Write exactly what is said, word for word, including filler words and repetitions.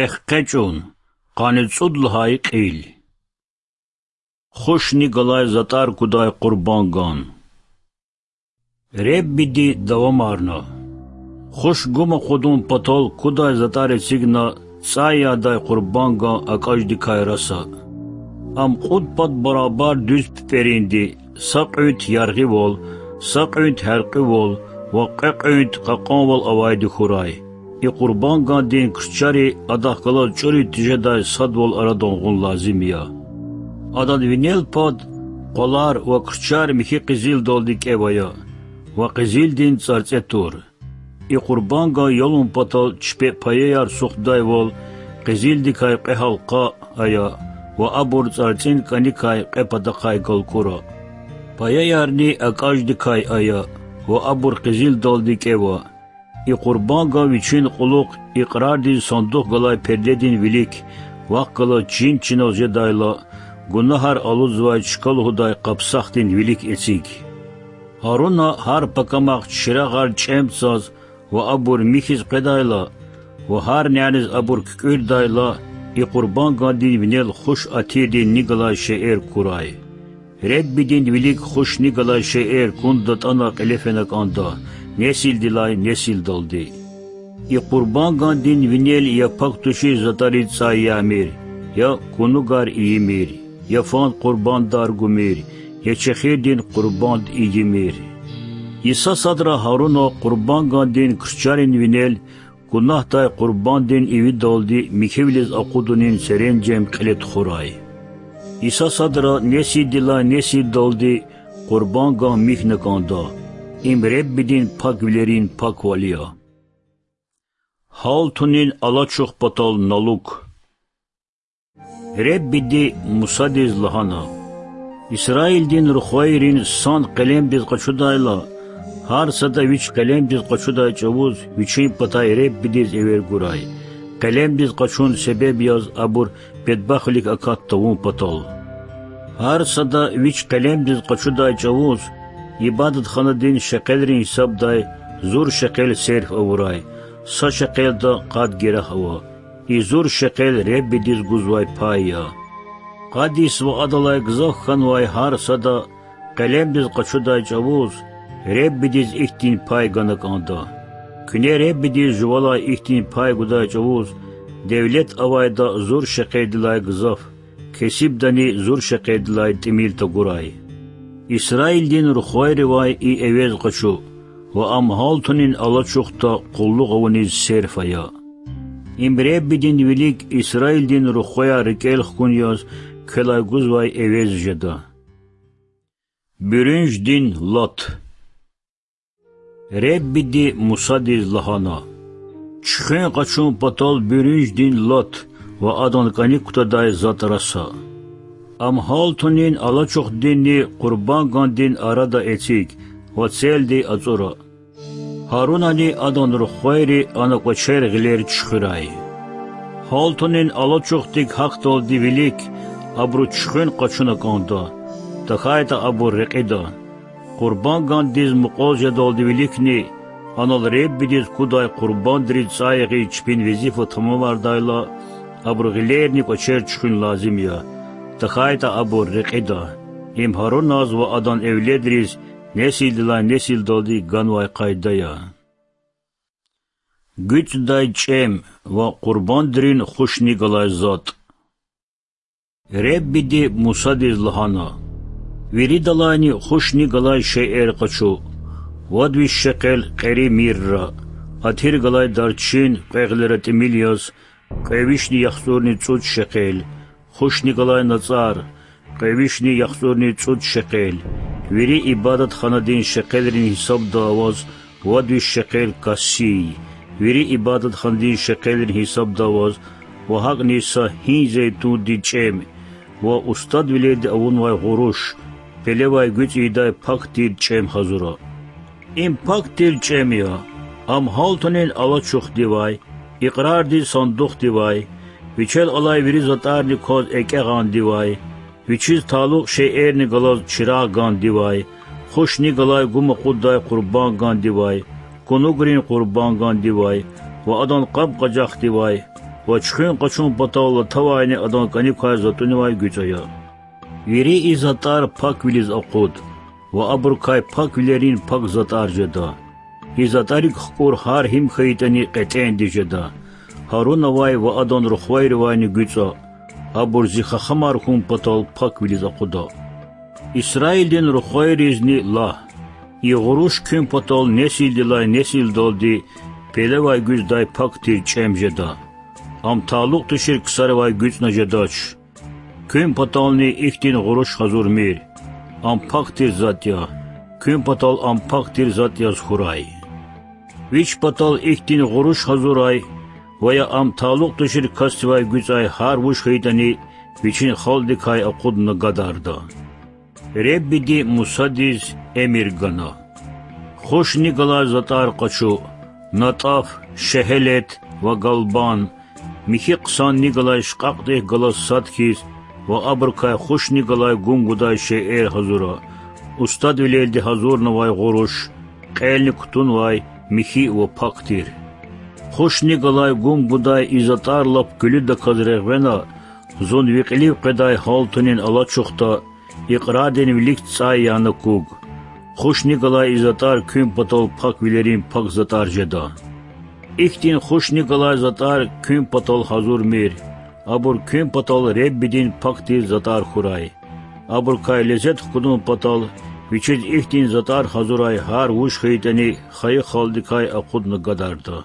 Эхкъечӏун, къанни цӏуд лагьай кьил. Хушни галай затӏар кудай къурбанган. Реббиди давамарна: Хуш гум акъудун патал кудай затӏар эцигна цӏай ядай къурбанган акӏаждикай раса. Ам кьуд пад барабар дуьз пипӏеринди, са кьуьнт яргъивал, са кьуьнт гьяркьуьвал ва кьве кьуьнт кьакьанвал авайди хьурай. И къурбангандин крчари адахъ галаз чӏуриз тежедай садвал арадан гъун лазим я. Адан винел пад къвалар ва крчар михьи къизилдалди кӏев ая ва къизилдин цӏарцӏе тур. И къурбанган ялун патал чпи паяяр сухтудайвал къизилдикай кьве гьалкъа ая ва абур цӏарцӏин кӏаникай кьве патахъай галкӏура. Паяярни акӏаждикай ая ва абур къизилдалди кӏева. И къурбанган вичин кьулухъ икьрардин сандух галай пердедин вилик, вахъ галаз чин чинал жедайла, гунагьар алудзавай чка лугьудай къапсахдин вилик эциг. Гьаруна гьар пакамахъ чирагъар чӏем цаз ва абур михьиз къведайла ва гьар няниз абур куькӏуьрдайла, и къурбангандин винел хуш атирдин ни галай шейэр курай. Реббидин вилик хуш ни галай шейэр кун датӏана кьиле фена кӏанда, несилдилай несилдалди. И къурбангандин винел я пак тушиз затӏариз цӏай ямир, я кунугар ийимир, я фан къурбандар гумир, я чехирдин къурбанд ийимир. Йиса садра Гьаруна къурбангандин крчарин винел гунагьдай къурбандин ивидалди михьивилиз акъудунин серенжем кьиле тухурай. Йиса садра несилдилай несилдалди къурбанган михьна кӏанда. Им Реббидин пак вилерин паквал я. Гьалтунин алачух патал налук. Реббиди Мусадиз лагьана: Исраилдин рухвайрин сан къелемдиз къачудайла, гьар сада вич къелемдиз къачудай чӏавуз вичин патай Реббидиз эвер гурай, къелемдиз къачун себеб яз абур бедбахтвилик акат тавун патал. Гьар сада вич къелемдиз къачудай чӏавуз ибадатханадин шекъелрин гьисабдай зур шекъел серф авурай, са шекъелда къад герах ава. И зур шекъел Реббидиз гузвай пай я. Къад йис ва адалай гзаф хьанвай гьар сада къелемдиз къачудай чӏавуз Реббидиз ихьтин пай гана кӏанда. Куьне Реббидиз жувалай ихьтин пай гудай чӏавуз девлет авайда зур шекъелдилай гзаф, кесибдани зур шекъелдилай тӏимил тагурай. Исраилдин рухвайривай и эвез къачу ва ам гьалтунин алачухда къуллугъ авуниз серф ая. Им Реббидин вилик Исраилдин рухваяр рикӏел хкун яз квелай гузвай эвез жеда. Буьруьнждин лат. Реббиди Мусадиз лагьана: Чуьхуьн къачун патал буьруьнждин лат ва адан кӏаник кутадай затӏ раса. Ам гьалтунин алачухдинни къурбангандин арада эциг ва целди ацӏура. Гьарунани адан рухвайри ана кӏвачер гъилер чуьхуьрай. Гьалтунин алачухдик гьахьдалди вилик абуру чуьхуьн къачуна кӏанда, тахьайтӏа абур рекьида. Къурбангандиз мукьвал жедалди виликни анал Реббидиз кудай къурбандриз цӏай ягъиз чпин везифа тамамардайла, абуру гъилерни кӏвачер чуьхуьн лазим я, тахьайтӏа абур рекьида. Им Гьаруназ ва адан эвледриз несилдилай несилдалди ганвай къайда я. ГуьцӀдай чӀем ва къурбандрин хушни галай затӀ. Реббиди Мусадиз лагьана: Виридалайни хушни галай шейэр къачу: вад виш шекъел кьери мирра, атир галай дарчин кьве гъилера тӀимил яз, кьве вишни яхцӀурни цӀуд шекъел, хушни галай нацӀар, кьве вишни яхцӀурни цӀуд шекъел, вири ибадатханадин шекъелрин гьисабда аваз вад виш шекъел кассий, вири ибадатханадин шекъелрин гьисабда аваз, ва гьакӀни са гьин зейтундин чӀем ва устадвилелди авунвай гъуруш, пелевай гуьцӀ ийидай пак тир чӀем гьазура. Им пак тир чӀем я, ам гьалтунин алачухдивай, икьрардин сандухдивай, вичел алай вири затӀарни кваз экӀягъандивай, вичиз талукь шейэрни галаз чирагъгандивай, хушни галай гум акъуддай къурбангандивай, кунугрин къурбангандивай ва адан къаб-къажахдивай, ва чуьхуьн къачун патал латавайни адан кӀаник квай затӀуникай гуьцӀ ая. Вири и затӀар паквилиз акъуд ва абурукай паквилерин пак затӀар жеда. И затӀарик хкӀур гьар гьим хьайитӀани кьетӀендиз жеда. Гьарунавай ва адан рухвайривайни гуьцӀа, абур зи хахамар хьун патал паквилиз акъуда. Исраилдин рухвайризни лагь: и гъуруш куьн патал несилдилай несилдалди пелевай гуьздай пак тир чӀем жеда. Ам талукь тушир ксаривай гуьцӀна жедач. Куьн патални ихьтин гъуруш гьазурмир. Ам пак тир затӀ я. Куьн патал ам пак тир затӀ яз хьурай. Вич патал ихьтин гъуруш гьазурай ва я ам талукь тушир касдивай гуьцӀай гьар вуж хьайитӀани вичин халкьдикай акъудна гадарда. Реббиди Мусадиз эмир гана: Хушни галай затӀар къачу: натӀаф, шегьелет ва галбан, михьи хъсанни галай шкьакьдихъ галаз сад хьиз, ва абурукай хушни галай гум гудай шейэр гьазура: устадвилелди гьазурнавай гъуруш, кьелни кутунвай, михьи ва пак тир. Хушни галай гум гудай и затӀар лап гуьлуьдаказ регъвена, зун ви кьилив къведай гьалтунин алачухда икьрардин вилик цӀай яна куг. Хушни галай и затӀар куьн патал паквилерин пак затӀар жеда. Ихьтин хушни галай затӀар куьн патал гьазурмир. Абур куьн патал Реббидин пак тир затӀар хьурай. Абурукай лезет хкудун патал вичиз ихьтин затӀар гьазурай гьар вуж хьайитӀани хайи халкьдикай акъудна гадарда.